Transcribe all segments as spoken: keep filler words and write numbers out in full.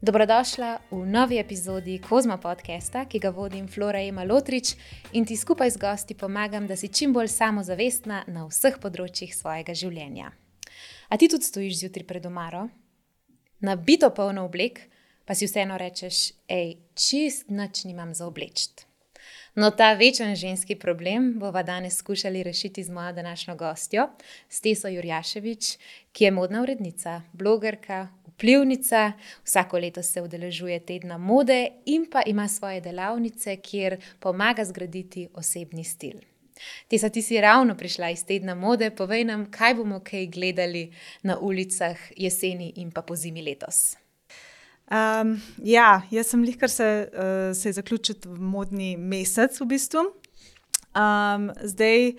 Dobrodošla v novi epizodi Kozma podcasta, ki ga vodim Flora Ema Lotrič in ti skupaj z gosti pomagam, da si čim bolj samozavestna na vseh področjih svojega življenja. A ti tudi stojiš zjutraj pred omaro, nabito polno oblek, pa si vseeno rečeš, ej, čist nič nimam za oblečt. No, ta večen ženski problem bova danes skušali rešiti z mojo današnjo gostjo, Steso Jurjaševič, ki je modna urednica, blogerka, vplivnica, vsako leto se udeležuje tedna mode in pa ima svoje delavnice, kjer pomaga zgraditi osebni stil. Tesa, ti si ravno prišla iz tedna mode, povej nam, kaj bomo kaj gledali na ulicah jeseni in pa pozimi letos. Um, ja, jaz sem lihkar se, uh, se je zaključil modni mesec v bistvu. Um, zdaj,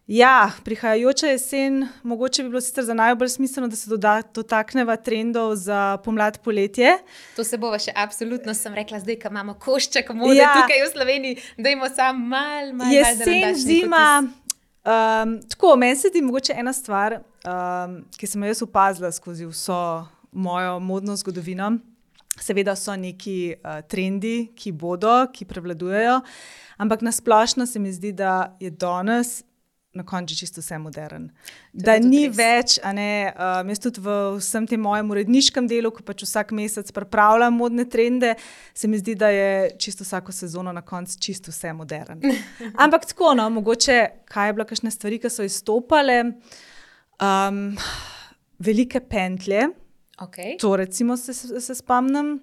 ja, prihajajoča jesen, mogoče bi bilo sicer za najbolj smiselno, da se doda, dotakneva trendov za pomlad poletje. To se bova še absolutno, sem rekla, zdaj, ko imamo košček mode ja. Tukaj v Sloveniji, dajmo samo mal, mal, jesen, mal, zima, um, tako, meni se di mogoče ena stvar, um, ki sem jo jaz opazila skozi vso mojo modno zgodovino. Seveda so neki uh, trendi, ki bodo, ki prevladujejo, ampak nasplošno se mi zdi, da je danes na koncu čisto vse modern. Da ni res. Več, a ne, um, jaz tudi v vsem tem mojem uredniškem delu, ko pač vsak mesec pripravljam modne trende, se mi zdi, da je čisto vsako sezono na koncu čisto vse modern. Ampak tako, no, mogoče, kaj je bila kakšne stvari, ki so izstopale, um, velike pentlje. Okay. To recimo se, se spomnim,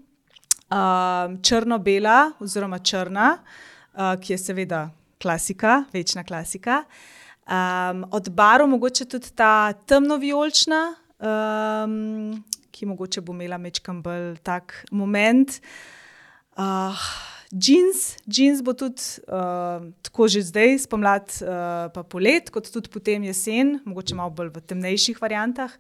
uh, črno-bela oziroma črna, uh, ki je seveda klasika, večna klasika. Um, od barv mogoče tudi ta temno-vijolična, um, ki mogoče bo imela mečkam bolj tak moment. Uh, džins, džins bo tudi uh, tako že zdaj, spomlad uh, pa polet, kot tudi potem jesen, mogoče malo bolj v temnejših variantah.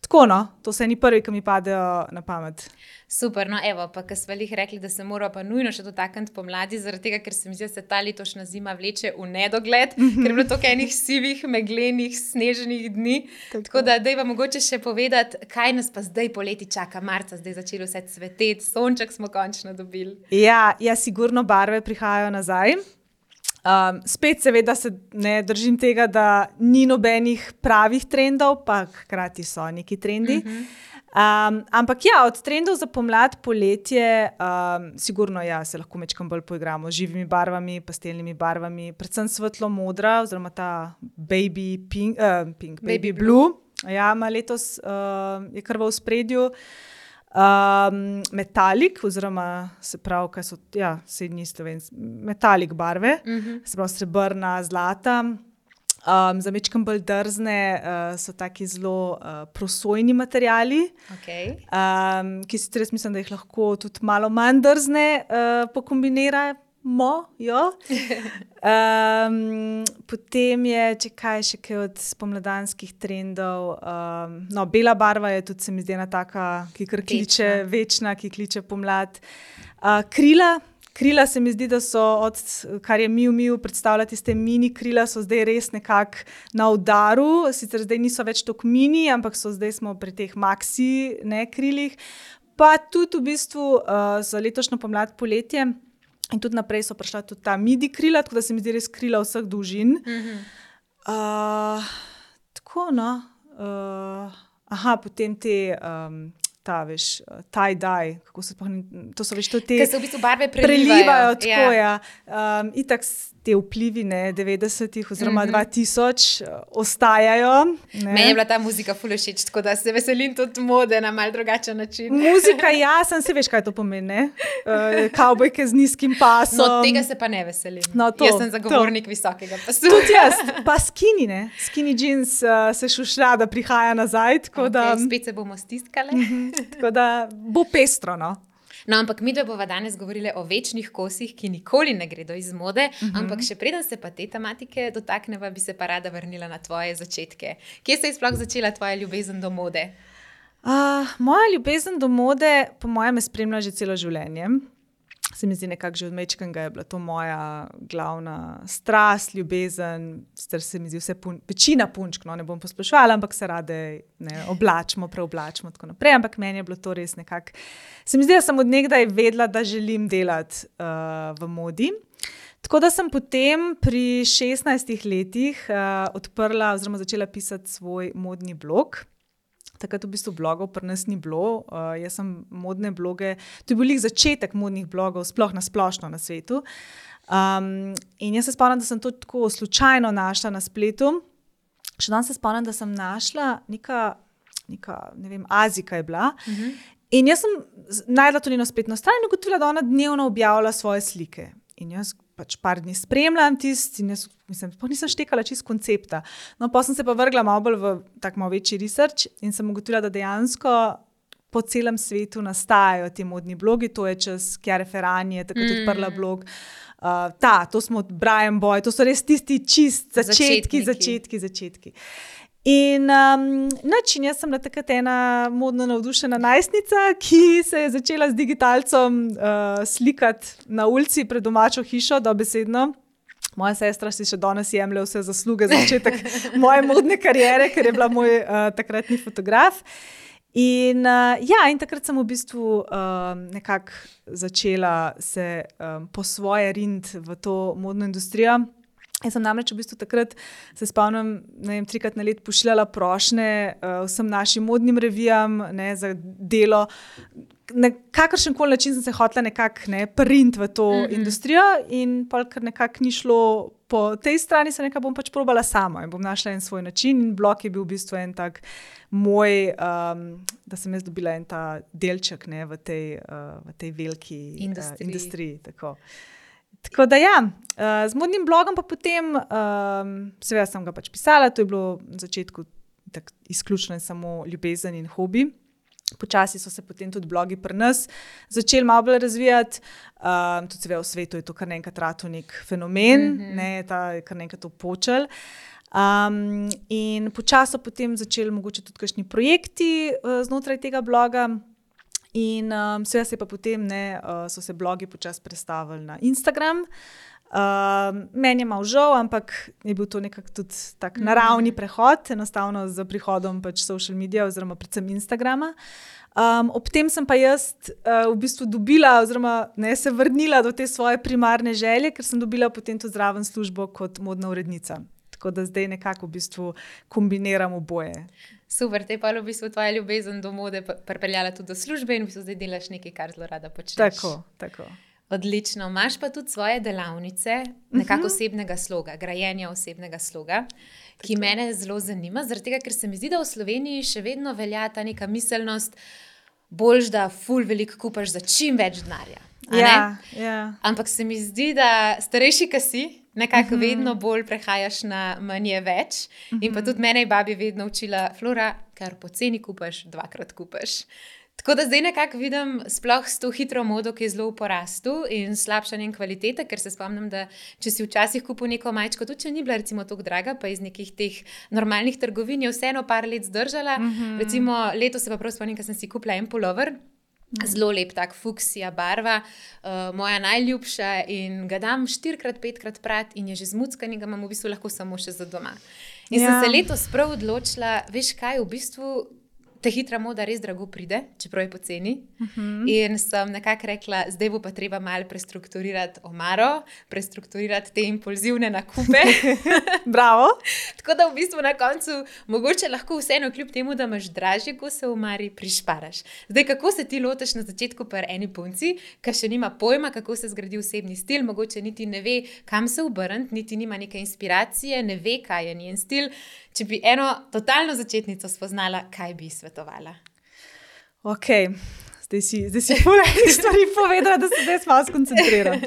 Tako, no, to se ni prvi, ki mi padejo na pamet. Super, no evo, pa ko smo lih rekli, da se mora pa nujno še dotakniti pomladi, zaradi tega, ker se mi zdi, da se ta letošnja zima vleče v nedogled, mm-hmm. ker je bilo toliko enih sivih, meglenih, sneženih dni. Tako, Tako da dajva mogoče še povedati, kaj nas pa zdaj poleti čaka, marca, zdaj začelo vse cveteti, sonček smo končno dobili. Ja, ja, sigurno barve prihajajo nazaj. Um, spet seveda se ne držim tega, da ni nobenih pravih trendov, pa hkrati so neki trendi. Uh-huh. Um, ampak ja, od trendov za pomlad, poletje, um, sigurno ja, se lahko mečkam bolj poigramo z živimi barvami, pastelnimi barvami, predvsem svetlo modra, oziroma ta baby pink, uh, pink baby, baby blue. blue. Ja, ima letos uh, je kar v ospredju. Um, metalik, oziroma se pravi, kaj so, ja, sedni slovenci, metalik barve, uh-huh. se pravi srebrna, zlata. Um, za mečkam bolj drzne uh, so taki zelo uh, prosojni materiali, okay. um, ki si res mislim, da jih lahko tudi malo manj drzne uh, pokombinirajo. Mo, jo. Um, potem je, če kaj še kaj od spomladanskih trendov, um, no, bela barva je tudi, se mi zdi, ena taka, ki kar kliče, večna, večna ki kliče pomlad. Uh, krila, krila se mi zdi, da so od, kar je Miu Miu predstavljati, te mini krila so zdaj res nekako na udaru, sicer zdaj niso več toliko mini, ampak so zdaj smo pri teh maxi, ne, krilih. Pa tudi v bistvu uh, za letošnjo pomlad poletje, in tudi naprej so prišla tudi ta midi krila, tako da se mi zdi res krila vseh dolžin. Mm-hmm. Uh, tako, no. Uh, aha, potem te, um, ta, veš, tie-dye, kako se pa, to so veš, to te... Ker se v bistvu barve prelivajo. Prelivajo, tako, ja. ja. Um, itak te vplivi, ne, devetdesetih oziroma mm-hmm. dva tisoč ostajajo. Ne. Meni je bila ta muzika ful všeč, tako da se veselim tudi mode na mal drugačen način. Muzika, ja, sem se veš, kaj to pomeni, ne? Uh, kavbojke z nizkim pasom. No, tega se pa ne veselim. No, to, jaz sem zagovornik to. Visokega pasu. Tudi jaz, pa skinny, ne? Skinny jeans uh, se šušlja, da prihaja nazaj, tako okay, da... Spet se bomo stiskale. Mm-hmm, tako da bo pestro, no. No, ampak mi dve bova danes govorili o večnih kosih, ki nikoli ne gredo iz mode, uh-huh. ampak še preden se pa te tematike dotakneva, bi se pa rada vrnila na tvoje začetke. Kje se je sploh začela tvoja ljubezen do mode? Uh, moja ljubezen do mode, po mojem, me spremlja že celo življenje. se mi zdi nekako že od mečkega je bila to moja glavna strast, ljubezen, sicer se mi zdi vse pun, večina punčk, no, ne bom posploševala, ampak se rade ne, oblačimo, preoblačimo tako naprej, ampak meni je bilo to res nekako, se mi zdi, da sem od nekdaj vedela, da želim delati uh, v modi. Tako da sem potem pri šestnajstih letih uh, odprla oziroma začela pisati svoj modni blog. Takrat v bistvu blogov pri nas ni bilo. Uh, jaz sem modne bloge, to je bil lih začetek modnih blogov, sploh na splošno na svetu. Um, in jaz se spomnim, da sem to tako slučajno našla na spletu. Še danes se spomnim, da sem našla neka, neka ne vem, Azika je bila. Uh-huh. In jaz sem najdla to njeno spletno stran in ugotovila, da ona dnevno objavlja svoje slike. In jaz pač par dni spremljam tisti in jaz mislim, pa nisem štekala čist koncepta. No, pa sem se pa vrgla malo bolj v tak malo večji research in sem ugotovila, da dejansko po celem svetu nastajajo ti modni blogi, to je čez Chiara Ferragni, je takrat mm. odprla blog. Uh, ta, to smo Brian Boy, to so res tisti čist začetki, začetki, začetki. In um, način, jaz sem bila takrat ena modno navdušena najstnica, ki se je začela z digitalcem uh, slikati na ulici pred domačo hišo, dobesedno. Moja sestra si še danes jemlje vse zasluge za začetek moje modne kariere, ker je bila moj uh, takratni fotograf. In, uh, ja, in takrat sem v bistvu um, nekako začela se um, po svoje rindi v to modno industrijo. Jaz sem namreč v bistvu takrat, se spomnim, ne vem, trikrat na let pošiljala prošnje uh, vsem našim modnim revijam, ne, za delo. Na kakršen koli način sem se hotela nekako ne, print v to mm-hmm. industrijo in pol, ker nekako ni šlo po tej strani, se nekako bom pač probala sama in bom našla en svoj način in blog je bil v bistvu en tak moj, um, da sem jaz dobila en ta delček ne, v, tej, uh, v tej veliki uh, industriji. Tako. Tako da ja, z modnim blogom pa potem, um, seveda sem ga pač pisala, to je bilo na začetku tak izključno in samo ljubezen in hobi. Počasi so se potem tudi blogi pri nas začeli malo bolj razvijati, um, tudi seveda v svetu je to kar nekaj rato nek fenomen, mm-hmm. ne, ta je kar nekaj to počel. Um, in počasi so potem začeli mogoče tudi kakšni projekti uh, znotraj tega bloga. In um, seveda se pa potem ne, uh, so se blogi počasi prestavili na Instagram. Um, meni je malo žal, ampak je bil to nekako tudi tak naravni prehod, enostavno z prihodom pač social media oziroma predvsem Instagrama. Um, ob tem sem pa jaz uh, v bistvu dobila oziroma ne, se vrnila do te svoje primarne želje, ker sem dobila potem to zraven službo kot modna urednica. Tako da zdaj nekako v bistvu kombiniram oboje. Super, te pa v bistvu tvoja ljubezen do mode pripeljala tudi do službe in v bistvu zdaj delaš nekaj, kar zelo rada počneš. Tako, tako. Odlično. Imaš pa tudi svoje delavnice, nekako osebnega sloga, grajenja osebnega sloga, tako. Ki mene zelo zanima, zaradi tega, ker se mi zdi, da v Sloveniji še vedno velja ta neka miselnost, boljš, da ful veliko kupaš za čim več denarja. Ja, ja. Ampak se mi zdi, da starejši, ki si, nekako uh-huh. vedno bolj prehajaš na manj je več. Uh-huh. In pa tudi mene je babi vedno učila, Flora, kar poceni kupaš, dvakrat kupaš. Tako da zdaj nekako vidim sploh s to hitro modo, ki je zelo v porastu in slabšanjem kvalitete, ker se spomnim, da če si včasih kupil neko majčko, tudi če ni bila recimo toliko draga, pa iz nekih teh normalnih trgovin je vseeno par let zdržala. Uh-huh. Recimo letos se pa prav spomnim, ker sem si kupila en pulover, zelo lep, tak fuksija barva, uh, moja najljubša in ga dam štirikrat, petkrat prat in je že zmuckan in ga imam v bistvu lahko samo še za doma. In ja. sem se letos prav odločila, veš kaj, v bistvu te hitra moda res drago pride, čeprav je poceni. Uh-huh. In sem nekako rekla, zdaj bo pa treba malo prestrukturirati omaro, prestrukturirati te impulzivne nakupe. Bravo. Tako da v bistvu na koncu mogoče lahko vseeno kljub temu, da imaš dražje kose v omari, prišparaš. Zdaj, kako se ti loteš na začetku pri eni punci, ki še nima pojma, kako se zgradi osebni stil, mogoče niti ne ve, kam se obrniti, niti nima neke inspiracije, ne ve, kaj je njen stil. Če bi eno totalno začetnico spoznala, kaj bi svetovala? Ok, zdaj si, zdaj si polej stvari povedala, da se zdaj malo skoncentriram.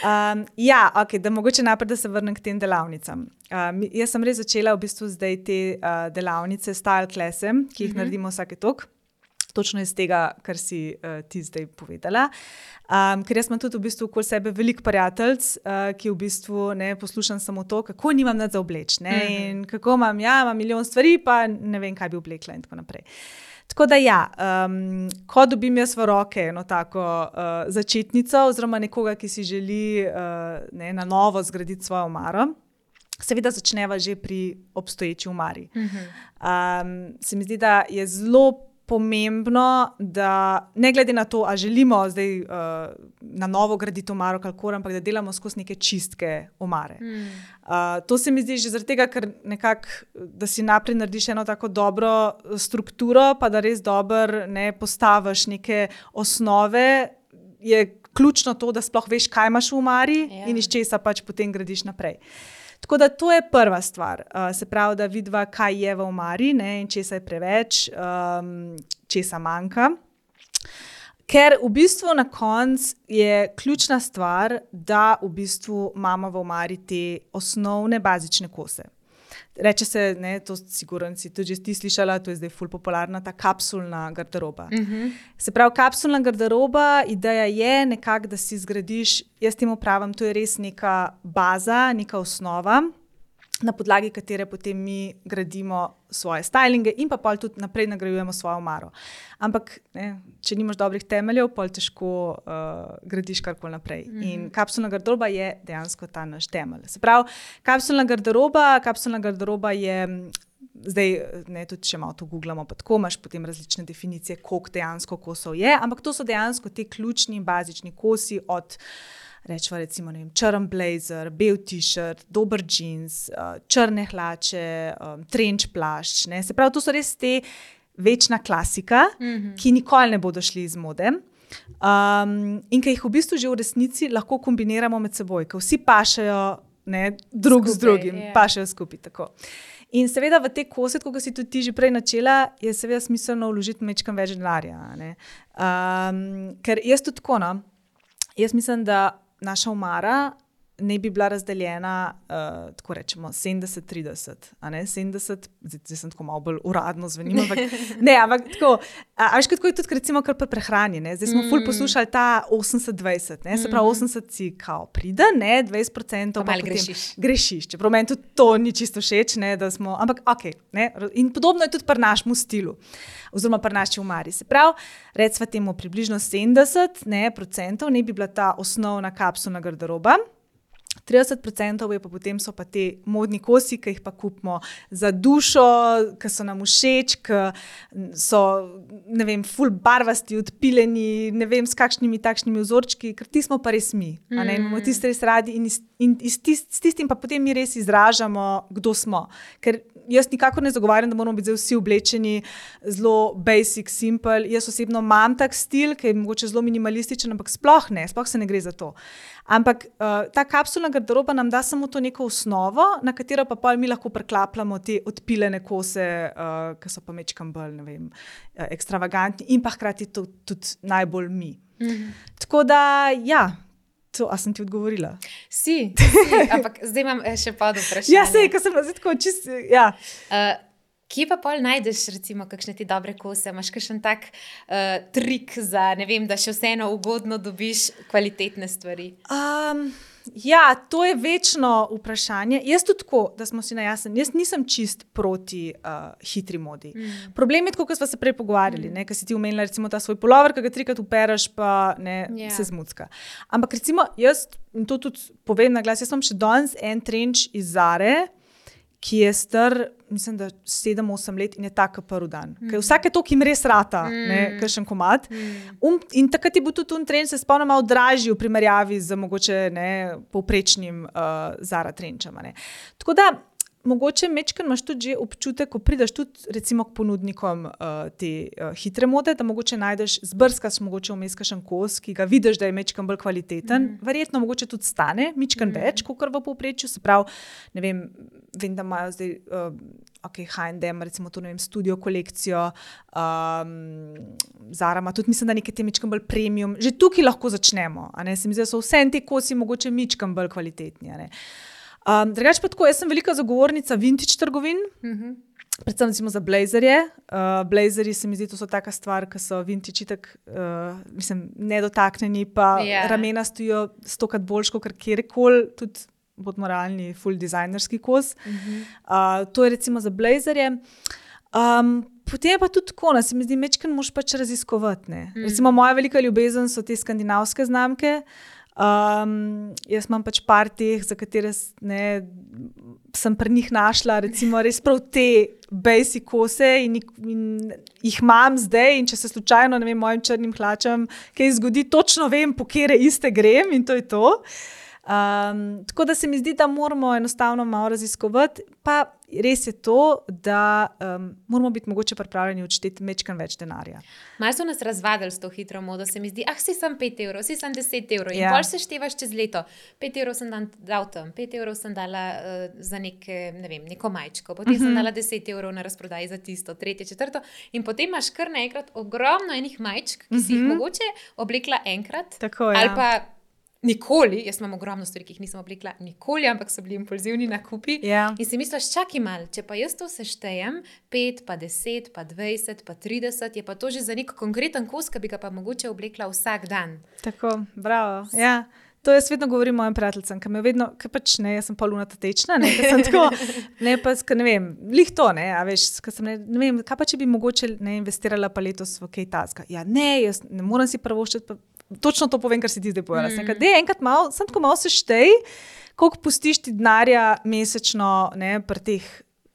Um, ja, ok, da mogoče najprej, da se vrnem k tem delavnicam. Um, jaz sem res začela v bistvu zdaj te uh, delavnice, style klase, ki jih uh-huh. naredimo vsake tok. Točno iz tega, kar si uh, ti zdaj povedala. Um, ker jaz imam tudi v bistvu okoli sebe veliko prijateljic, uh, ki v bistvu ne poslušam samo to, kako nimam nič za obleč. Ne? Mm-hmm. In kako imam, ja, imam milijon stvari, pa ne vem, kaj bi oblekla in tako naprej. Tako da ja, um, ko dobim jaz v roke eno tako uh, začetnico oziroma nekoga, ki si želi uh, ne, na novo zgraditi svojo omaro, seveda začneva že pri obstoječi omari. Um, se mi zdi, da je zelo pomembno, da ne glede na to, a želimo zdaj uh, na novo graditi omaro, kakor, ampak da delamo skozi neke čistke omare. Mm. Uh, to se mi zdi že zaradi tega, ker nekako, da si naprej narediš eno tako dobro strukturo, pa da res dobro ne postaviš neke osnove, je ključno to, da sploh veš, kaj imaš v omari yeah. in iz česa pač potem gradiš naprej. Tako da to je prva stvar, uh, se pravi, da vidiva, kaj je v omari, ne, in česa je preveč, um, česa manjka. Ker v bistvu na koncu je ključna stvar, da v bistvu imamo v omari te osnovne bazične kose. Reče se, ne, to sigurno si tudi ti slišala, to je zdaj ful popularna, ta kapsulna garderoba. Uh-huh. Se pravi, kapsulna garderoba, ideja je nekako, da si zgradiš, jaz temu pravim, to je res neka baza, neka osnova, na podlagi katere potem mi gradimo svoje stylinge in pa pol tudi naprej nagrajujemo svojo omaro. Ampak, ne, če nimaš dobrih temeljev, pol težko uh, gradiš karkoli naprej. Mm-hmm. In kapsulna garderoba je dejansko ta naš temelj. Se pravi, kapsulna garderoba, kapsulna garderoba je, zdaj ne, tudi če malo to googlamo, pa tako imaš potem različne definicije, koliko dejansko kosov je, ampak to so dejansko ti ključni in bazični kosi od rečva recimo, ne vem, črn blazer, bel t-shirt, dober jeans, uh, črne hlače, um, trench plašč, ne. Se pravi, to so res te večna klasika, mm-hmm. ki nikoli ne bodo šli iz mode. Um, in ki jih v bistvu že v resnici lahko kombiniramo med seboj, ker vsi pašejo ne, drug skupaj, z drugim, yeah. pašejo skupaj tako. In seveda v te kose, kot si tudi ti že prej načela, je seveda smiselno vložiti mečkam več denarja. Um, ker jaz tudi tako, no, jaz mislim, da naša omara ne bi bila razdeljena, uh, tako rečemo, sedemdeset trideset, a ne, sedemdeset, zdaj, zdaj sem tako malo bolj uradno zvenim, ampak ne, ampak tako, a, a veš, kako je tudi recimo kar pri prehrani, ne, zdaj smo mm. ful poslušali ta osemdeset dvajset, ne, se pravi osemdeset si kao pride, ne, dvajset procentov pa, pa potem grešiš. grešiš, čeprav meni tudi to ni čisto všeč, ne, da smo, ampak okej, okay, ne, in podobno je tudi pri našemu stilu, oziroma pri naši omari, se pravi, recimo temu približno sedemdeset, ne, procentov ne bi bila ta osnovna kapsulna garderoba, trideset procentov je pa potem so pa te modni kosi, ki jih pa kupimo za dušo, ki so nam všeč, ki so, ne vem, ful barvasti, odpiljeni, ne vem, s kakšnimi takšnimi vzorčki, ker ti smo pa res mi, a ne, imamo tiste res radi in, in, in tist, s tistim pa potem mi res izražamo, kdo smo. Ker jaz nikakor ne zagovarjam, da moramo biti vsi oblečeni zelo basic, simple. Jaz osebno imam tak stil, ki je mogoče zelo minimalističen, ampak sploh ne, sploh se ne gre za to. Ampak uh, ta kapsulna garderoba nam da samo to neko osnovo, na katero pa pol mi lahko preklapljamo te odpiljene kose, uh, ki so pa mečkam bolj, ne vem, uh, ekstravagantni in pa hkrati to tudi najbolj mi. Mm-hmm. Tako da, ja, to, a sem ti odgovorila? Si, si, ampak zdaj imam še pa do vprašanja. Ja, sej, ko sem zdaj tako čist, ja. Uh, Kje pa pol najdeš, recimo, kakšne ti dobre kose? Imaš kakšen tak uh, trik za, ne vem, da še vseeno ugodno dobiš kvalitetne stvari? Um, ja, to je večno vprašanje. Jaz tudi tako, da smo si najjasni, jaz nisem čist proti uh, hitri modi. Mm. Problem je tako, kot smo se prej pogovarjali, mm. ne, ker si ti omenila recimo ta svoj pulover, ki ga trikrat upereš, pa ne, yeah. se zmucka. Ampak recimo jaz, in to tudi povem na glas, jaz imam še danes en trenč iz Zare, ki je star, mislim, da sedem osem let in je tak prvi dan. Mm. Ker vsake to, ki jim res rata, mm. ne, kakšen komad. Mm. Um, in takrat je bil tudi un trenč, se spomnim, malo dražji v primerjavi z mogoče ne, povprečnim uh, Zara trenčem. Ne. Tako da, mogoče mečken imaš tudi že občutek, ko prideš tudi recimo k ponudnikom uh, te uh, hitre mode, da mogoče najdeš, zbrskaš mogoče vmes kakšen kos, ki ga vidiš, da je mečken bolj kvaliteten. Mm. Verjetno mogoče tudi stane mečken mm. več, kakor v povprečju. Se pravi, ne vem, vem, da imajo zdaj uh, ok, H and M, recimo to, ne vem, studio kolekcijo, um, Zara ima tudi, mislim, da nekaj te mečken bolj premium. Že tukaj lahko začnemo, a ne, se mi zdi, da so vse te kosi mogoče mečken bolj kvalitetni, a ne. Um, drugače pa tako, jaz sem velika zagovornica vintage trgovin, mm-hmm. predvsem recimo za blazerje. Uh, blazerji se mi zdi, to so taka stvar, ki so vintage itak, uh, mislim, nedotaknjeni, pa yeah. ramena stojijo stokrat boljš, kot kjerkoli, tudi bodimo realni, full dizajnerski kos. Mm-hmm. Uh, to je recimo za blazerje. Um, potem je pa tudi tako, ne, se mi zdi, mečken moš pač raziskovati. Mm. Recimo, moja velika ljubezen so te skandinavske znamke. Um, jaz imam pač par teh, za katere ne, sem pri njih našla, recimo res prav te basic kose in, in jih imam zdaj in če se slučajno, ne vem, mojim črnim hlačam kaj zgodi, točno vem, po kere iste grem in to je to. Um, tako da se mi zdi, da moramo enostavno malo raziskovati, pa res je to, da um, moramo biti mogoče pripravljeni odšteti mečkan več denarja. Malo so nas razvadili s to hitro modo, se mi zdi, ah, si sem pet evrov, si sem deset evrov in Ja. pol se števaš čez leto. pet evrov sem dan, dal tam, pet evrov sem dala uh, za neke, ne vem, neko majčko, potem uh-huh. sem dala deset evrov na razprodaji za tisto, tretje, četrto in potem imaš kar naenkrat ogromno enih majčk, ki si uh-huh. jih mogoče oblekla enkrat Tako, ja. ali pa nikoli, jaz imam ogromno stvari, ki jih nisem oblekla nikoli, ampak so bili impulzivni nakupi. Ja. In si misliš, čakaj mal, če pa jaz to seštejem, pet, pa deset, pa dvajset, pa trideset, je pa to že za nek konkreten kos, ki bi ga pa mogoče oblekla vsak dan. Tako, bravo. Ja. To jaz vedno govorim mojim prijateljcem, ki me vedno, ki pač ne, jaz sem pol lunatatečna, ne, ker sem tako, ne, pa, ker ne vem, lih to, ne, a veš, ker sem, ne, ne vem, kaj pa če bi mogoče ne investirala pa letos v kaj tazga. Ja, ne, jaz ne moram si prvoščiti, pa točno to povem, kar si ti zdaj povedala. Mm. Nekaj, enkrat malo, sem tako malo seštej, koliko pustiš ti denarja mesečno, ne, pri teh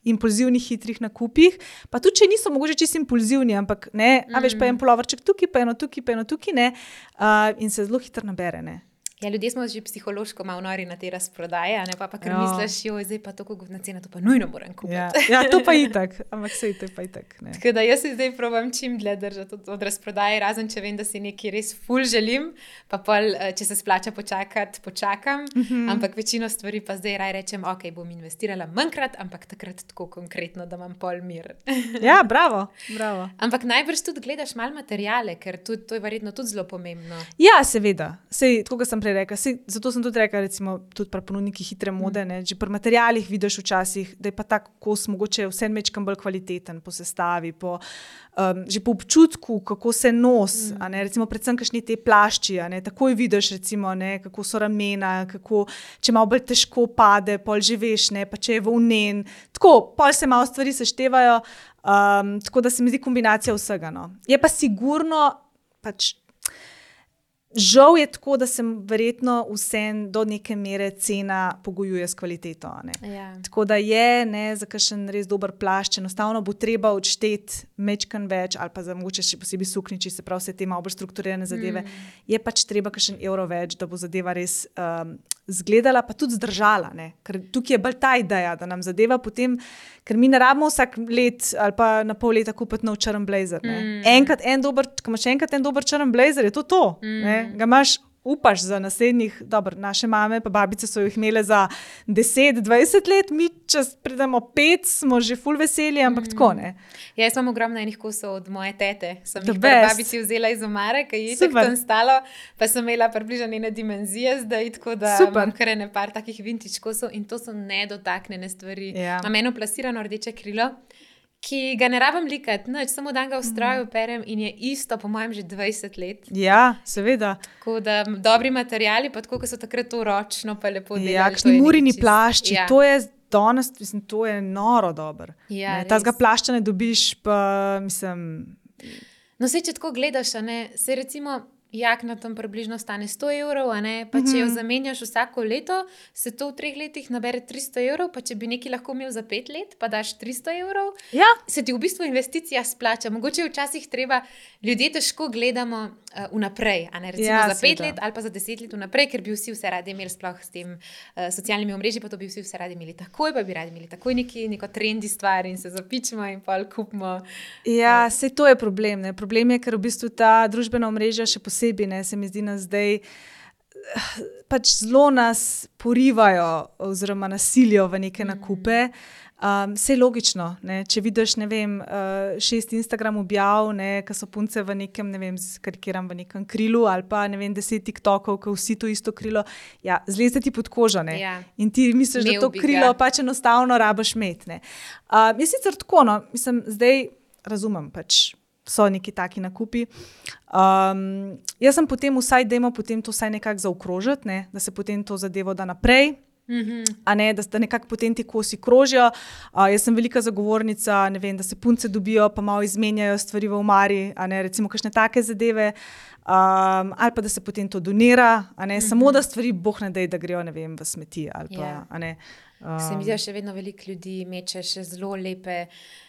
impulzivnih, hitrih nakupih, pa tudi, če niso mogoče čisto impulzivni, ampak ne, a veš, pa en polovrček tukaj, pa eno tukaj, pa eno tukaj, ne, uh, in se zelo hitro nabere, ne. Ja, ljudje smo že psihološko malo nori na te razprodaje, ne pa pa kar Ja. misliš, joj, zdaj pa to na cena, to pa nujno moram kupiti. Ja, ja, to pa itak, ampak sej to pa itak, ne. Tako da jaz se zdaj probam čim dlje držati od, od razprodaje, razen če vem, da si nekaj res ful želim, pa pol, eh, če se splača počakati, počakam, mm-hmm. ampak večino stvari pa zdaj raj rečem, ok, bom investirala manjkrat, ampak takrat tako konkretno, da imam pol mir. Ja, bravo, bravo. Ampak najbrž tudi gledaš malo materijale, ker tudi, to je verjetno tudi zelo pomembno. Ja, seveda, sej, tako kot sem prej rekla, sej, zato sem tudi rekla, recimo, tudi pri ponudnikih hitre mode, ne, že pri materialih vidiš včasih, da je pa tak kos mogoče vse mečkam bolj kvaliteten po sestavi, po, um, že po občutku, kako se nos, mm. a ne, recimo predvsem kakšni te plašči, a ne, takoj vidiš, recimo, ne, kako so ramena, kako, če malo bolj težko pade, pol že veš, ne, pa če je volnen, tako, pol se malo stvari seštevajo, um, tako da se mi zdi kombinacija vsega, no. Je pa sigurno, pač, žal je tako, da se verjetno vsem do neke mere cena pogojuje s kvaliteto. Ne? Ja. Tako da je, ne, za kakšen res dober plašč, enostavno bo treba odšteti mečkan več, ali pa za mogoče še posebej sukniči, se pravi vse te malo bolj strukturirane zadeve, mm. je pač treba kakšen evro več, da bo zadeva res um, zgledala, pa tudi zdržala. Ne? Ker tukaj je bolj ta ideja, da nam zadeva potem, ker mi ne rabimo vsak let ali pa na pol leta kupiti nov črn blazer. Mm. Enkrat en dober, ko imaš enkrat en dober črn blazer, je to to. Mm. Ne? Ga imaš, upaš za naslednjih, dobro, naše mame pa babice so jih imele za deset, dvajset let, mi čas pridemo pet, smo že ful veseli, ampak mm. tako, ne. Ja, jaz imam ogromno enih kosov od moje tete, sem The jih best. babici vzela iz omare, ki je tako tam stalo, pa sem imela približno ene dimenzije zdaj, tako da Super. imam kar ene par takih vintage kosov in to so nedotaknjene stvari. Ja. Imam eno plasirano rdeče krilo, ki ga ne rabim likati, nič, samo dan ga v stroju perem in je isto, po mojem, že dvajset let. Ja, seveda. Tako da dobri materiali, pa tako, ko so takrat to ročno pa lepo delali. Ja, to je kakšni nekaj murini čist- plašči, Ja. to je danes, mislim, to je noro dober. Ja, Ne, Tazga res. plašča ne dobiš, pa mislim, No, sej, če tako gledaš, a ne, se recimo jakna tam približno stane sto evrov, a ne, pa če jo zamenjaš vsako leto, se to v treh letih nabere tristo evrov, pa če bi nekaj lahko imel za pet let, pa daš tristo evrov, ja, se ti v bistvu investicija splača. Mogoče je včasih treba, ljudje težko gledamo uh, vnaprej, a ne, recimo Ja, za pet seveda. let ali pa za deset let vnaprej, ker bi vsi vse radi imeli, sploh s tem uh, socialnimi omrežji, pa to bi vsi vse radi imeli takoj, pa bi radi imeli takoj neki, neko trendi stvar in se zapičimo in pol kupimo. ja, sej to je problem. Ne. Problem je, ker v bistvu ta družbena omrežja še posebej, ne, se mi zdi nas zdaj, pač zelo nas porivajo oziroma nasilijo v neke nakupe. Um, Vse logično, ne? Če vidiš, ne vem, uh, šest Instagram objav, ne, ki so punce v nekem, ne vem, karikiram v nekem krilu ali pa ne vem, deset TikTokov, ki vsi to isto krilo, ja, zleze ti pod kožo, ne. Ja. In ti misliš, Imel da to bi krilo ga. pač enostavno rabiš imeti, ne. Uh, jaz sicer tako, no, mislim, zdaj razumem pač, so neki taki nakupi. Um, jaz sem potem vsaj, dajmo potem to vsaj nekako zaokrožiti, ne, da se potem to zadevo da naprej, Mm-hmm. A ne, da, da nekako potem ti kosi krožijo. Uh, jaz sem velika zagovornica, ne vem, da se punce dobijo, pa malo izmenjajo stvari v omari, a ne, recimo kakšne take zadeve, um, ali pa da se potem to donira, a ne, mm-hmm. samo da stvari boh ne dej, da grejo, ne vem, v smeti ali pa, yeah. a ne. Um, se mi zdi, da še vedno veliko ljudi meče še zelo lepe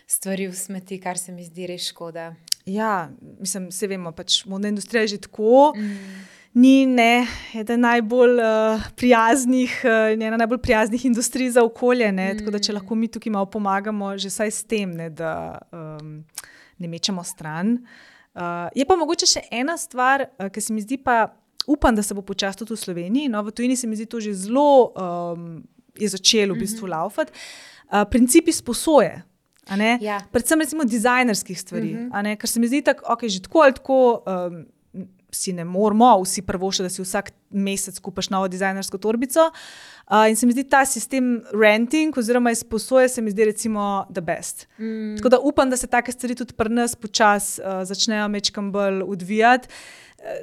stvari v smeti, kar se mi zdi res škoda. Ja, mislim, vse vemo, pač modna industrija je že tako, mm. ni ne, eden najbolj uh, prijaznih, uh, ena najbolj prijaznih industrij za okolje, ne, mm. tako da če lahko mi tukaj malo pomagamo, že saj s tem, ne, da um, ne mečemo stran. Uh, je pa mogoče še ena stvar, uh, ki se mi zdi pa, upam, da se bo počasi tudi v Sloveniji, no, v tujini se mi zdi to že zelo, um, je začelo v bistvu mm-hmm. laufati, uh, principi sposoje. Ja. Predvsem recimo dizajnerskih stvari, mm-hmm. a ne, ker se mi zdi tako, ok, že tako ali tako um, si ne moramo vsi prvošati, da si vsak mesec kupaš novo dizajnersko torbico uh, in se mi zdi ta sistem renting oziroma izposoje se mi zdi recimo the best. Mm. Tako da upam, da se take stvari tudi pri nas počas uh, začnejo mečkam bolj odvijati.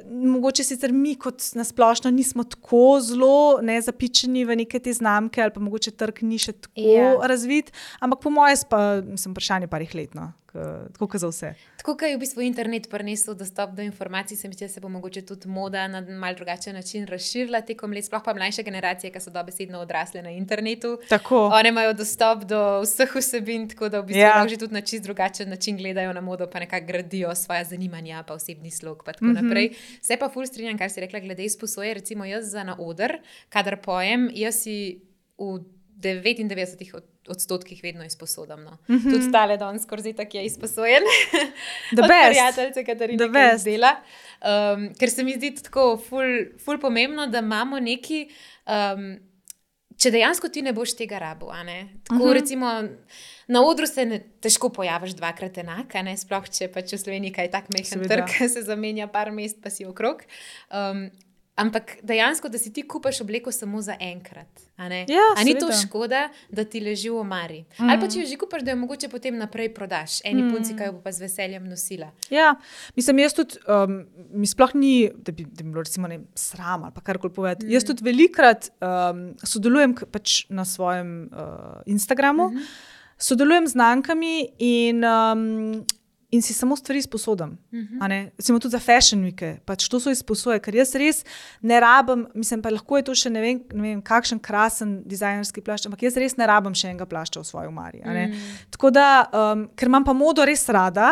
Mogoče sicer mi kot nasplošno nismo tako zelo ne, zapičeni v neke te znamke ali pa mogoče trg ni še tako yeah. razvit, ampak po moje pa sem vprašanje parih let, no, tako kot za vse. Tako kot je v bistvu internet prinesel dostop do informacij, se mi zdi, da se bo mogoče tudi moda na mal drugačen način razširila tekom let, sploh pa mlajše generacije, ki so dobesedno odrasle na internetu. Tako. One imajo dostop do vseh vsebin, tako da v bistvu yeah. že tudi na čist drugačen način gledajo na modo, pa nekako gradijo svoja zanimanja, pa osebni slog, pa tako mm-hmm. naprej. Se pa ful strinjam, kar si rekla glede izposoje, recimo jaz za na oder, kadar pojem, jaz si v devetindevetdesetih odstotkih vedno izposodam. No. Mm-hmm. Tudi tale danes skoraj tak je izposojen. The od best. Prijateljce, Katarina, ki izdela. Um, ker se mi zdi tako ful, ful pomembno, da imamo neki, um, če dejansko ti ne boš tega rabil, a ne? Tako mm-hmm. recimo na odru se ne, težko pojaviš dvakrat enak, a ne? Sploh, če pač v Sloveniji kaj tak mehen trg, se zamenja par mest, pa si okrog. Um, ampak dejansko, da si ti kupaš obleko samo za enkrat. A, ja, a ni to škoda, da ti leži v omari? Mm. Ali pa če jo že kupaš, da jo mogoče potem naprej prodaš. Eni mm. punci, ki jo bo pa z veseljem nosila. Ja, mislim, jaz tudi, um, mi sploh ni, da bi, da bi bilo recimo ne, sram ali pa karkoli povedati. Mm. Jaz tudi velikrat um, sodelujem pač na svojem uh, Instagramu, mm-hmm. sodelujem z znankami in um, in si samo stvari izposodam. Mm-hmm. Recimo tudi za fashion weeke, pač to so izposoje, ker jaz res ne rabim, mislim, pa lahko je to še ne vem, ne vem kakšen krasen dizajnerski plašč, ampak jaz res ne rabim še enega plašča v svoji omari. Mm. Tako da, um, ker imam pa modo res rada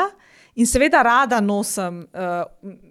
in seveda rada nosim uh,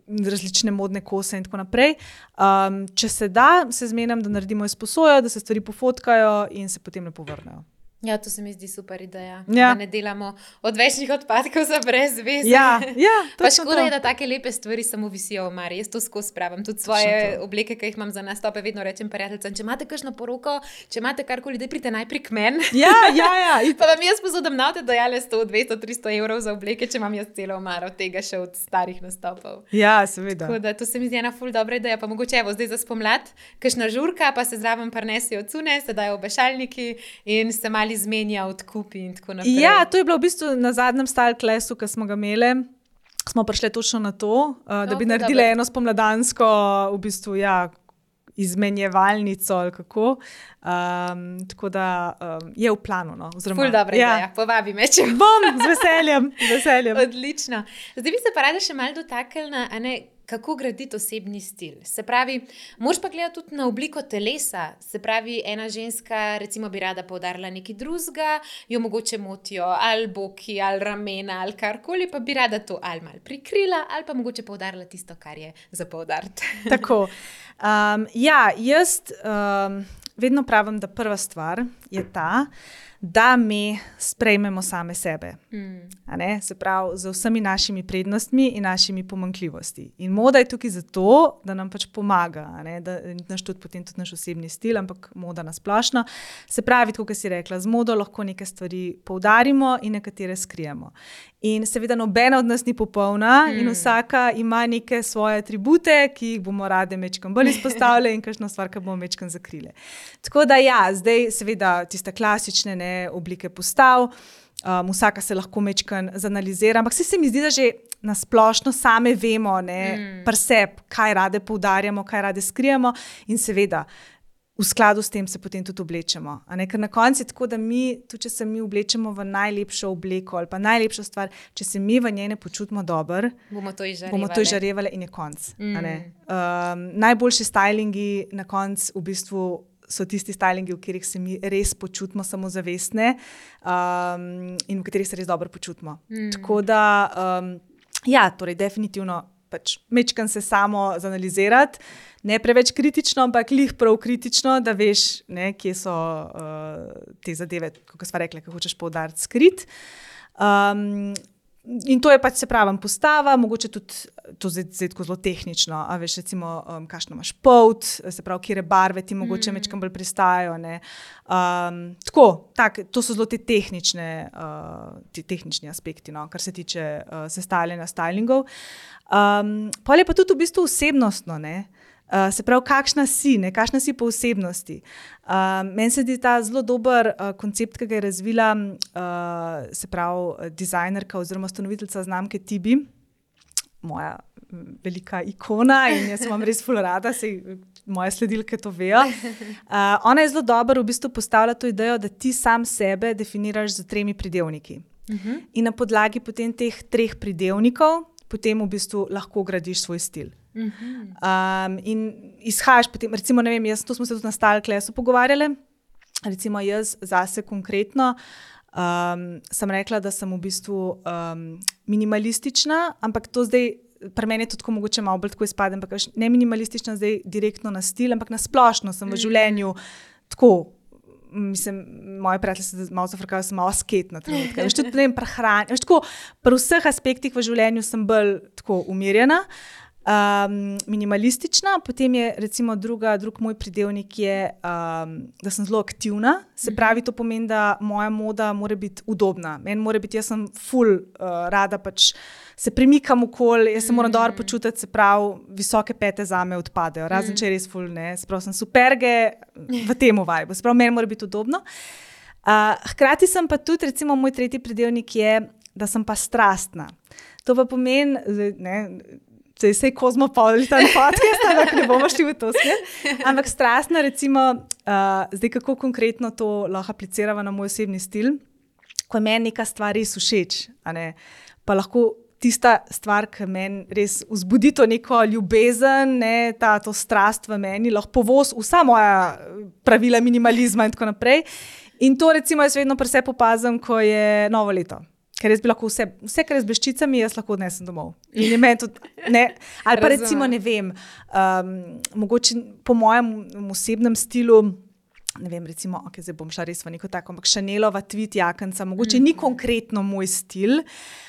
različne modne kose in tako naprej, um, če se da, se zmenim, da naredimo izposojo, da se stvari pofotkajo in se potem lepo vrnejo. Ja, to se mi zdi super ideja, ja. Da ne delamo odvečnih odpadkov za brez veze. Ja, ja, pa škoda je, da take lepe stvari samo visijo v omari. Jaz to skozi spravim. Tudi svoje obleke, ki jih imam za nastope, vedno rečem prijateljcem, če imate kakšno poroko, če imate karkoli, da pridite najprej k meni. Ja, ja, ja. Pa vam jaz posodam na te dajale sto, dvesto, tristo evrov za obleke, če imam jaz celo omaro tega še od starih nastopov. Ja, seveda. Tako da to se mi zdi ena ful dobra ideja. Pa mogoče evo zdaj za spomlad, kakšna žurka, pa se zraven prinesejo cune, se dajo obešalniki in se mali zmenja odkupi in tako naprej. Ja, to je bilo v bistvu na zadnjem style classu, ki smo ga imeli. Smo prišli točno na to, uh, da bi no, naredili eno spomladansko v bistvu, ja, izmenjevalnico ali kako. Um, tako da um, je v planu. No, oziroma, ful dobra ja. Ideja, povabi me, če bom. Z veseljem, z veseljem. Odlično. Zdaj bi se pa rada še malo dotaknila, a ne, kako graditi osebni stil. Se pravi, moraš pa gledati tudi na obliko telesa. Se pravi, ena ženska recimo bi rada poudarila nekaj drugega, jo mogoče motijo ali boki, ali ramena, ali karkoli, pa bi rada to ali malo prikrila, ali pa mogoče poudarila tisto, kar je za poudariti. Tako. Um, ja, jaz um, vedno pravim, da prva stvar je ta, da mi sprejmemo same sebe. Mm. A ne? Se pravi, z vsemi našimi prednostmi in našimi pomanjkljivosti. In moda je tukaj zato, da nam pač pomaga, a ne? Da naš tudi potem tudi naš osebni stil, ampak moda nasplošno. Se pravi, tako kot si rekla, z modo lahko neke stvari poudarimo in nekatere skrijemo. In seveda nobena od nas ni popolna mm. in vsaka ima neke svoje atribute, ki jih bomo rade mečkam bolj izpostavili in kakšna stvar, ki bomo mečkam zakrile. Tako da ja, zdaj seveda tiste klasične ne, oblike postav, um, vsaka se lahko mečkam zanalizira, ampak vse se mi zdi, da že nasplošno same vemo, ne, mm. pri sebi, kaj rade poudarjamo, kaj rade skrijemo in seveda v skladu s tem se potem tudi oblečemo. A ne? Ker na koncu je tako, da mi, tudi če se mi oblečemo v najlepšo obleko ali pa najlepšo stvar, če se mi v njej ne počutimo dobro, bomo to izžarevali. Bomo to izžarevali in je konc. Mm. Um, najboljši stylingi na koncu v bistvu so tisti stylingi, v katerih se mi res počutimo samozavestne um, in v katerih se res dobro počutimo. Mm. Tako da, um, ja, torej definitivno pač mečkam se samo zanalizirati, ne preveč kritično, ampak lih prav kritično, da veš, ne, kje so uh, te zadeve, kako sva rekla, kako hočeš poudariti, skrit. Um, in to je pač, se pravim, postava, mogoče tudi to zdaj, zdaj tako zelo tehnično, a veš, recimo, um, kakšno imaš polt, se pravi, kjere barve ti mogoče mm. mečkam bolj pristajajo, ne. Um, tako, tak, to so zelo te tehnične, uh, te tehnični aspekti, no, kar se tiče uh, sestavljanja stylingov. Um, pol je pa tudi v bistvu osebnostno, ne. Uh, se pravi, kakšna si, ne, kakšna si po osebnosti. Uh, meni se zdi ta zelo dober uh, koncept, ki ga je razvila uh, se pravi, dizajnerka oziroma ustanoviteljica znamke Tibi, moja velika ikona in jaz imam res ful rada, sej moje sledilke to vejo. Uh, ona je zelo dobro v bistvu postavila to idejo, da ti sam sebe definiraš z tremi pridevniki. Uh-huh. In na podlagi potem teh treh pridevnikov potem v bistvu lahko gradiš svoj stil. Um, in izhajaš potem, recimo, ne vem, jaz, to smo se tudi na Style Classu pogovarjali, recimo jaz zase konkretno um, sem rekla, da sem v bistvu um, minimalistična, ampak to zdaj, pri meni je to tako mogoče malo bolj tako izpade, ampak ne minimalistična zdaj direktno na stil, ampak na splošno sem v življenju tako, mislim, moje prijatelje se malo zafrkajo, sem malo asketna trenutka. Veš, tudi, ne vem, prehranja, veš, tako, pri vseh aspektih v življenju sem bolj tako umirjena. Um, minimalistična, potem je recimo druga, drug moj pridevnik je, um, da sem zelo aktivna, se pravi, to pomeni, da moja moda mora biti udobna. Meni mora biti, jaz sem ful uh, rada, pač se premikam okoli, jaz se moram dobro počutiti, se pravi, visoke pete zame odpadejo, razen če je res ful, ne, se pravi, sem superge v temu vibu, se pravi, meni mora biti udobno. Uh, hkrati sem pa tudi, recimo, moj tretji pridevnik je, da sem pa strastna. To pa pomeni, ne, Zdaj se je kozmopolitan podcast, ampak ne bomo šli v to smer. Ampak strastna, recimo, uh, zdaj kako konkretno to lahko aplicirava na moj osebni stil, ko je meni neka stvar res všeč, a ne, pa lahko tista stvar, ki meni res vzbudi to neko ljubezen, ne, ta, to strast v meni, lahko povoz vsa moja pravila minimalizma in tako naprej. In to recimo jaz vedno pri sebi opazim, ko je novo leto. Ker jaz bi lahko vse, vse, kar je z bleščicami, jaz lahko odnesem domov. In je meni tudi, ne, ali pa recimo, ne vem, um, mogoče po mojem osebnem stilu, ne vem, recimo, ok, zdaj bom šla res v neko tako, ampak Chanelova tweed jakenca, mogoče mm. ni konkretno moj stil,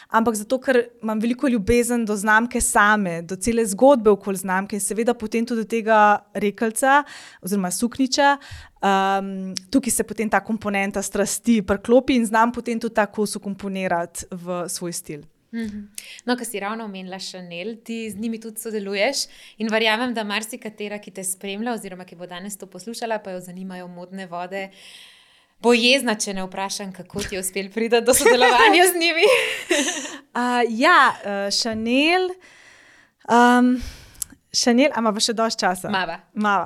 ampak zato, ker imam veliko ljubezen do znamke same, do cele zgodbe okoli znamke in seveda potem tudi do tega rekelca oziroma sukniča. Um, tukaj se potem ta komponenta strasti priklopi in znam potem tudi ta kos ukomponirati v svoj stil. Mm-hmm. No, ko si ravno omenila Chanel, ti z njimi tudi sodeluješ in verjamem, da marsikatera, ki te spremlja oziroma ki bo danes to poslušala, pa jo zanimajo modne vode, bo jezna, če ne vprašam, kako ti je uspel priti do sodelovanja z njimi. uh, ja, uh, Chanel... Um, Chanel, ama pa še dosti časa? Mava. Mava.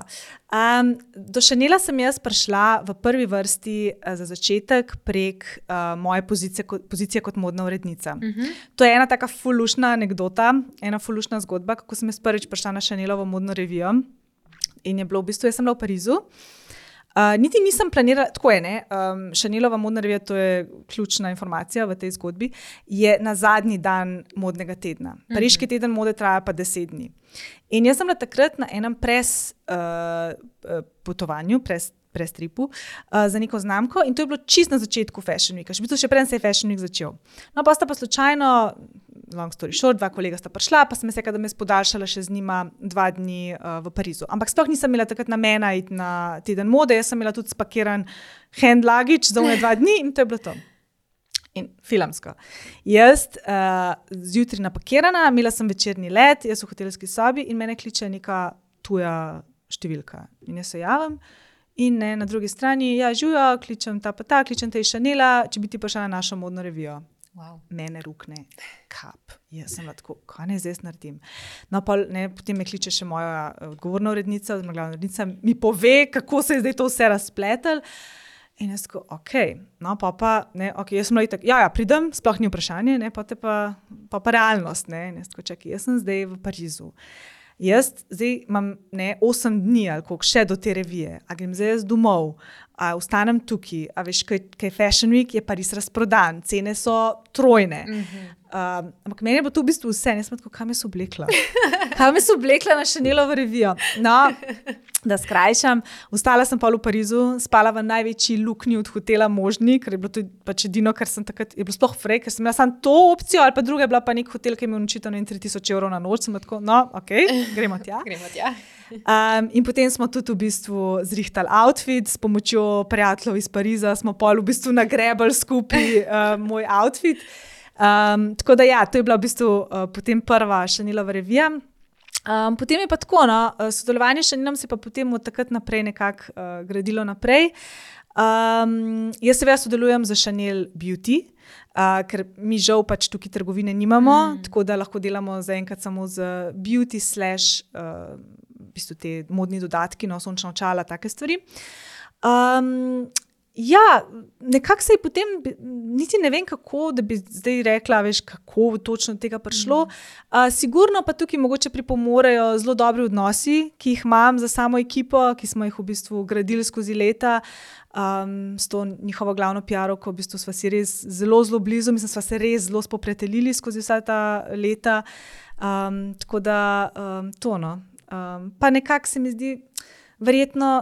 Um, do Chanela sem jaz prišla v prvi vrsti uh, za začetek prek uh, moje pozicije, ko, pozicije kot modna urednica. Uh-huh. To je ena taka fulušna anekdota, ena fulušna zgodba, kako sem jaz prvič prišla na Chanelovo modno revijo in je bilo v bistvu, jaz sem bila v Parizu. Uh, niti nisem planirala, tako je, ne, um, Chanelova modna revija, to je ključna informacija v tej zgodbi, je na zadnji dan modnega tedna. Pariški uh-huh. teden mode traja pa deset dni. In jaz sem bila takrat na enem pres uh, potovanju, pres, pres tripu uh, za neko znamko in to je bilo čist na začetku Fashion Weeka, še v bistvu še preden se je Fashion Week začel. No, pa sta pa slučajno, long story short, dva kolega sta prišla, pa sem se rekla, da me podaljšala še z njima dva dni uh, v Parizu. Ampak sploh nisem imela takrat namena iti na teden mode, jaz sem imela tudi spakiran hand luggage za one dva dni in to je bilo to. In filmsko. Jaz uh, zjutraj napakirana, imela sem večerni let, jaz v hotelski sobi in mene kliče neka tuja številka. In jaz se javim in ne, na drugi strani, ja, žujo, kličem ta pa ta, kličem te iz Chanela, če bi ti prišla na našo modno revijo. Wow. Mene rukne kap. Jaz sem tako, kaj ne zdaj naredim. No, pa, ne, potem me kliče še moja odgovorna urednica, oziroma glavna urednica, mi pove, kako se je zdaj to vse razpletel. In jaz tako, ok, no, pa pa, ne, ok, jaz sem tako, ja, ja, pridem, sploh ni vprašanje, ne, pa te pa, pa, pa realnost, ne, in jaz tako, čakaj, jaz sem zdaj v Parizu. Jaz zdaj imam, ne, osem dni ali koliko še do te revije, a grem zdaj jaz domov, a ostanem tukaj, a veš, kaj, kaj Fashion Week je Pariz razprodan, cene so trojne. Mm-hmm. Um, ampak meni je bilo to v bistvu vse, ne sem tako, kam je se oblekla? Kam je se oblekla na Chanelovo revijo? No, da skrajšam, ostala sem pa v Parizu, spala v največji luknji od hotela možni, ker je bilo to pač edino, kar sem takrat, je bilo sploh frej, ker sem imela samo to opcijo, ali pa druga je bila pa nek hotel, ki je imel nočitev na tri tisoč evrov na noč, sem tako, no, ok, gremo tja. gremo tja. Um, in potem smo tudi v bistvu zrihtali outfit, s pomočjo prijateljev iz Pariza smo pol v bistvu nagrebali skupaj uh, moj outfit. Um, tako da ja, to je bila v bistvu uh, potem prva Chanelova revija. Um, potem je pa tako, no, sodelovanje s Chanelom se pa potem od takrat naprej nekako uh, gradilo naprej. Um, jaz seveda sodelujem za Chanel Beauty, uh, ker mi žal pač tukaj trgovine nimamo, mm. tako da lahko delamo zaenkrat samo z beauty slash uh, v bistvu te modni dodatki, no, sončna očala, take stvari. Um, Ja, nekako se je potem, niti ne vem kako, da bi zdaj rekla, veš, kako točno tega prišlo. Uh, sigurno pa tukaj mogoče pripomorejo zelo dobri odnosi, ki jih imam za samo ekipo, ki smo jih v bistvu gradili skozi leta, um, s to njihovo glavno P R-ovko, v bistvu sva si res zelo, zelo blizu, mislim, sva se res zelo spoprijateljili skozi vsa ta leta. Um, tako da um, to, no. Um, pa nekako se mi zdi, verjetno,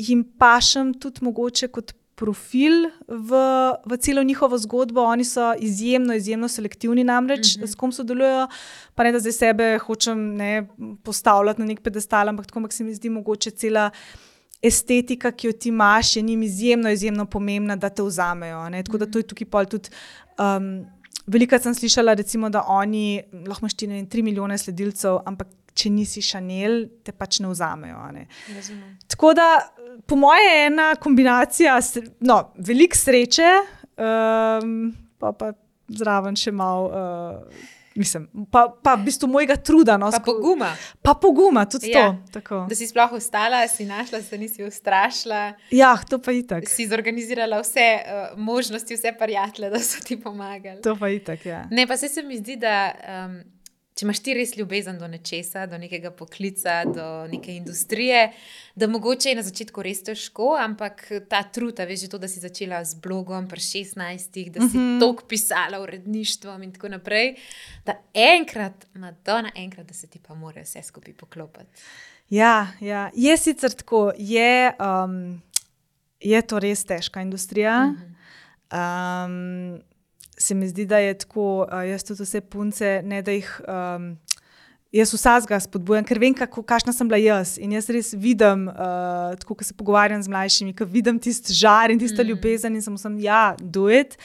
jim pašem tudi mogoče kot profil v, v celo njihovo zgodbo. Oni so izjemno, izjemno selektivni namreč, mm-hmm. s kom sodelujo, pa ne da zdaj sebe hočem ne, postavljati na nek pedestal, ampak tako, ampak se mi zdi mogoče cela estetika, ki jo ti imaš, je njim izjemno, izjemno pomembna, da te vzamejo. Ne? Tako da to je tukaj pol tudi... Um, velikrat sem slišala, recimo, da oni, lahko imaš ti ne vem, tri milijone sledilcev, ampak če nisi Chanel, te pač ne vzamejo. Ne? Tako da, po moje je ena kombinacija, no, veliko sreče, um, pa pa zraven še malo, uh, mislim, pa, pa v bistvu mojega truda. No, pa sko- poguma. Pa poguma, tudi ja, to. Tako. Da si sploh ostala, si našla, se nisi ustrašila. Ja, to pa itak. Si zorganizirala vse uh, možnosti, vse prijatelje, da so ti pomagali. To pa itak, ja. Ne, pa se, se mi zdi, da... Um, če imaš ti res ljubezen do nečesa, do nekega poklica, do neke industrije, da mogoče je na začetku res težko, ampak ta trud, veš, to, da si začela z blogom pri šestnajstih, da si mm-hmm. toliko pisala uredništvom in tako naprej, da enkrat, Madonna, enkrat, da se ti pa mora vse skupaj poklopiti. Ja, ja, je sicer tako, je, um, je to res težka industrija. Mm-hmm. Um, se mi zdi, da je tako, uh, jaz tudi vse punce, ne da jih, um, jaz vsazga spodbujam, ker vem, kako, kakšna sem bila jaz in jaz res vidim, uh, tako, ko se pogovarjam z mlajšimi, ko vidim tist žar in tista mm. ljubezen in sem vsem, ja, do it.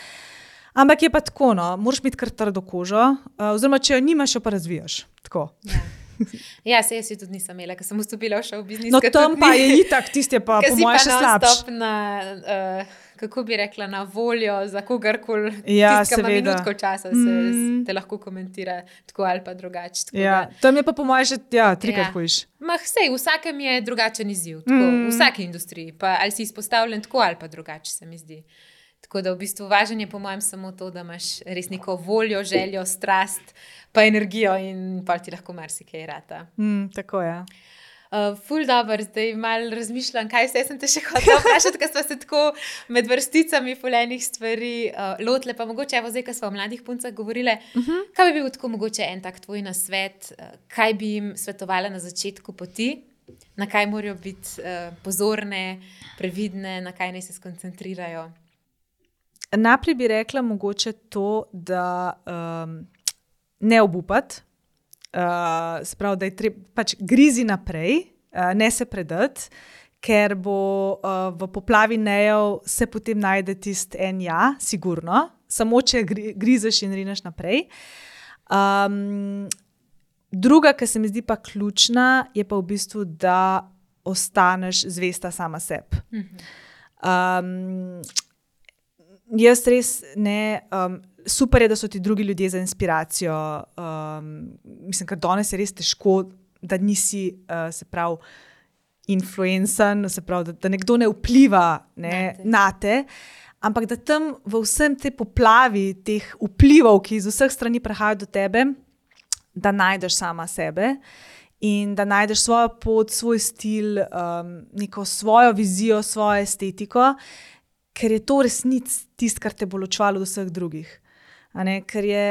Ampak je pa tako, no, moraš imeti kar trdo kožo, uh, oziroma, če jo nimaš, jo pa razvijaš, tako. Ja. Ja, se jaz tudi nisem imela, ker sem vstopila v šov biznis. No, tam pa je itak, tiste pa po moje še slabš. Na, uh, kako bi rekla, na voljo za kogarkoli, ja, tistka ima minutko časa, se mm. te lahko komentira tako ali pa drugače. Ja, tam je pa po moje še, ja, trikrat ja. hojiš. Mah, sej, vsakem je drugačen izziv, tako, mm. v vsaki industriji, pa ali si izpostavljen tako ali pa drugače, se mi zdi. Tako da v bistvu važen je po mojem samo to, da imaš res neko voljo, željo, strast, pa energijo in pa ti lahko marsikaj rata. Mm, tako je. Uh, ful dobro, zdaj malo razmišljam, kaj vse sem te še hotela vprašati, ker smo se tako med vrsticami fulejnih stvari uh, lotile, pa mogoče evo zdaj, ko smo o mladih puncah govorile, uh-huh. kaj bi bil tako mogoče en tak tvoj nasvet, uh, kaj bi jim svetovala na začetku poti, na kaj morajo biti uh, pozorne, previdne, na kaj naj se skoncentrirajo? Najprej bi rekla mogoče to, da um, ne obupati, uh, se pravi, da je treba pač grizi naprej, uh, ne se predati, ker bo uh, v poplavi nejev se potem najde tist en ja, sigurno, samo če gri, grizeš in rineš naprej. Um, druga, ki se mi zdi pa ključna, je pa v bistvu, da ostaneš zvesta sama sebi. Mhm. Um, jaz res ne, um, super je, da so ti drugi ljudje za inspiracijo. Um, mislim, ker danes je res težko, da nisi, uh, se pravi, influencer, se pravi, da, da nekdo ne vpliva ne, na te. Ampak da tam v vsem te poplavi teh vplivov, ki iz vseh strani prihajajo do tebe, da najdeš sama sebe in da najdeš svojo pot, svoj stil, um, neko svojo vizijo, svojo estetiko, ker je to resnic tisto, kar te bo ločevalo od vseh drugih. A ne, ker je,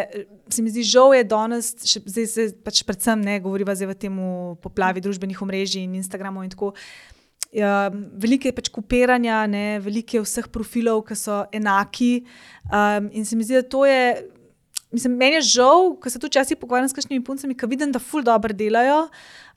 se mi zdi, žal je danes, še, zdaj se pač predvsem ne govoriva zdaj v temu poplavi družbenih omrežij in Instagramov in tako. Ja, veliko je pač kopiranja, ne, veliko je vseh profilov, ki so enaki. Um, in se mi zdi, da to je, mislim, meni je žal, ko se tu včasih pogovarjam s kakšnimi puncami, ki vidim, da ful dobro delajo.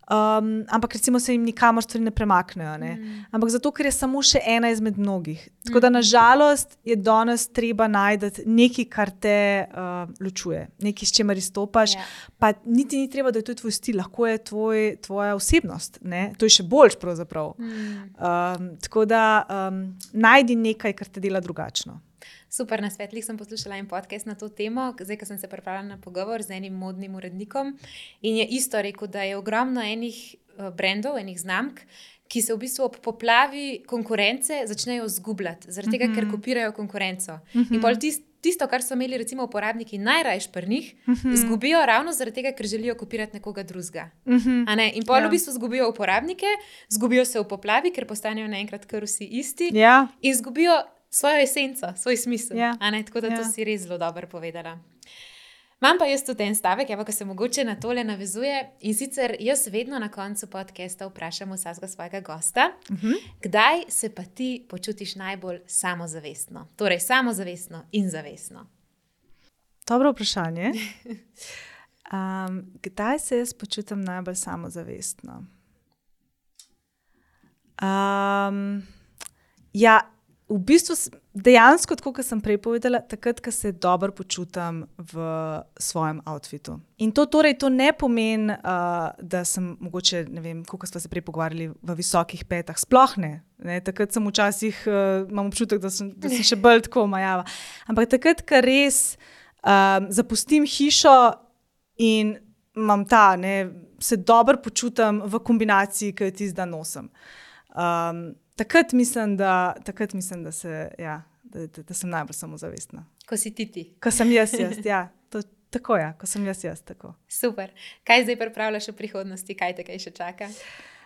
Um, ampak recimo se jim nikamor stvari ne premaknejo. Ne? Mm. Ampak zato, ker je samo še ena izmed mnogih. Tako da nažalost je danes treba najti nekaj, kar te uh, ločuje, nekaj, s čemer izstopaš. Yeah. Pa niti ni treba, da je to tvoj stil, lahko je tvoj, tvoja osebnost. Ne? To je še boljš pravzaprav. Mm. Um, tako da um, najdi nekaj, kar te dela drugačno. Super, na Svetlih sem poslušala en podcast na to temo, zdaj, ko sem se pripravila na pogovor z enim modnim urednikom in je isto rekel, da je ogromno enih brandov, enih znamk, ki se v bistvu ob poplavi konkurence začnejo zgubljati, zaradi tega, mm-hmm. ker kopirajo konkurenco. Mm-hmm. In pol tist, tisto, kar so imeli recimo uporabniki najrajš pri njih, mm-hmm. zgubijo ravno zaradi tega, ker želijo kopirati nekoga drugega. Mm-hmm. A ne? In pol yeah. v bistvu zgubijo uporabnike, zgubijo se v poplavi, ker postanejo naenkrat kar vsi isti yeah. in zgubijo svojo esenco, svoj smisel. Yeah. A ne? Tako da yeah. to si res zelo dobro povedala. Imam pa jaz tudi en stavek, evo, ko se mogoče na tole navezuje, in sicer jaz vedno na koncu podcasta vprašam vsakega svojega gosta, uh-huh. kdaj se pa ti počutiš najbolj samozavestno? Torej, samozavestno in zavestno. Dobro vprašanje. Um, kdaj se jaz počutim najbolj samozavestno? Um, ja, v bistvu dejansko, tako kot sem prej povedala, takrat, ko se dobro počutim v svojem outfitu. In to torej to ne pomeni, uh, da sem mogoče, ne vem, koliko smo se prej pogovarjali, v visokih petah. Sploh ne. ne takrat sem včasih, uh, imam občutek, da sem, da sem še bolj tako majava. Ampak takrat, ko res um, zapustim hišo in imam ta, ne, se dobro počutim v kombinaciji, ki jo tisti dan nosim. Um, Takrat mislim, da, takrat mislim, da, se, ja, da, da, da sem najbolj samozavestna. Ko si ti ti. Ko sem jaz jaz, ja. To, tako je, ja, ko sem jaz jaz. Tako. Super. Kaj zdaj pripravljaš v prihodnosti? Kaj te kaj še čaka?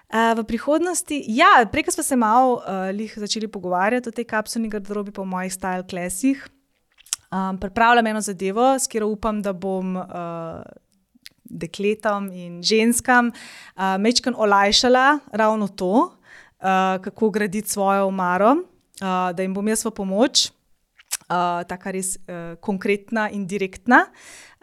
Uh, v prihodnosti, ja, prej smo se malo uh, lih začeli pogovarjati o tej kapsulni garderobi, pa o mojih style classih. Um, pripravljam eno zadevo, s katero upam, da bom uh, dekletom in ženskam uh, majčkeno olajšala ravno to. Uh, kako graditi svojo omaro, uh, da jim bom jaz v pomoč, uh, taka res uh, konkretna in direktna.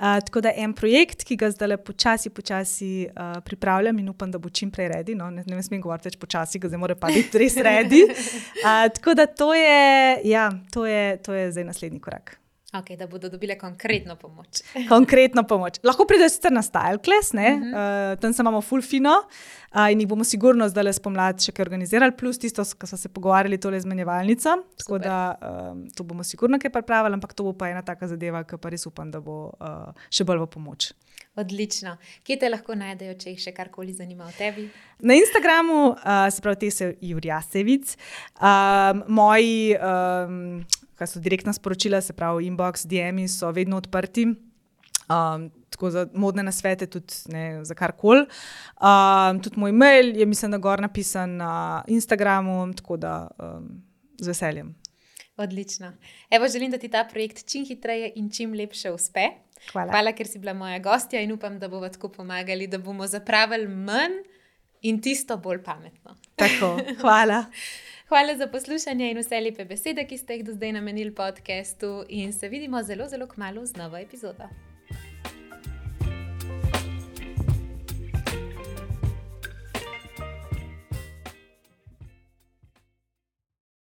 Uh, tako da en projekt, ki ga zdaj počasi, počasi uh, pripravljam in upam, da bo čim prej ready. No? Ne, ne smem govoriti več počasi, ga zdaj mora pa biti res ready. Uh, tako da to je, ja, to je, to je zdaj naslednji korak. Ok, da bodo dobile konkretno pomoč. Konkretno pomoč. Lahko pridejo sicer na style class, ne? Uh-huh. Uh, tam se imamo full fino uh, in jih bomo sigurno zdaj le spomladi še kaj organizirali, plus tisto, ko smo se pogovarjali tole izmenjevalnico. Tako da um, to bomo sigurno kaj pripravili, ampak to bo pa ena taka zadeva, ki pa res upam, da bo uh, še bolj v pomoč. Odlično. Kje te lahko najdejo, če jih še karkoli zanima o tebi? Na Instagramu, uh, se pravi, te se Jurjasevic. Um, moji... Um, kaj so direktna sporočila, se pravi inbox, D M-i so vedno odprti, um, tako za modne nasvete, tudi ne, za karkoli. Um, tudi moj mail je, mislim, da gor napisan na Instagramu, tako da um, z veseljem. Odlično. Evo, želim, da ti ta projekt čim hitreje in čim lepše uspe. Hvala. Hvala, ker si bila moja gostja in upam, da bomo tako pomagali, da bomo zapravili manj in tisto bolj pametno. Tako, hvala. Hvala za poslušanje in vse lepe besede, ki ste jih do zdaj namenili podcastu in se vidimo zelo, zelo kmalu z novo epizodo.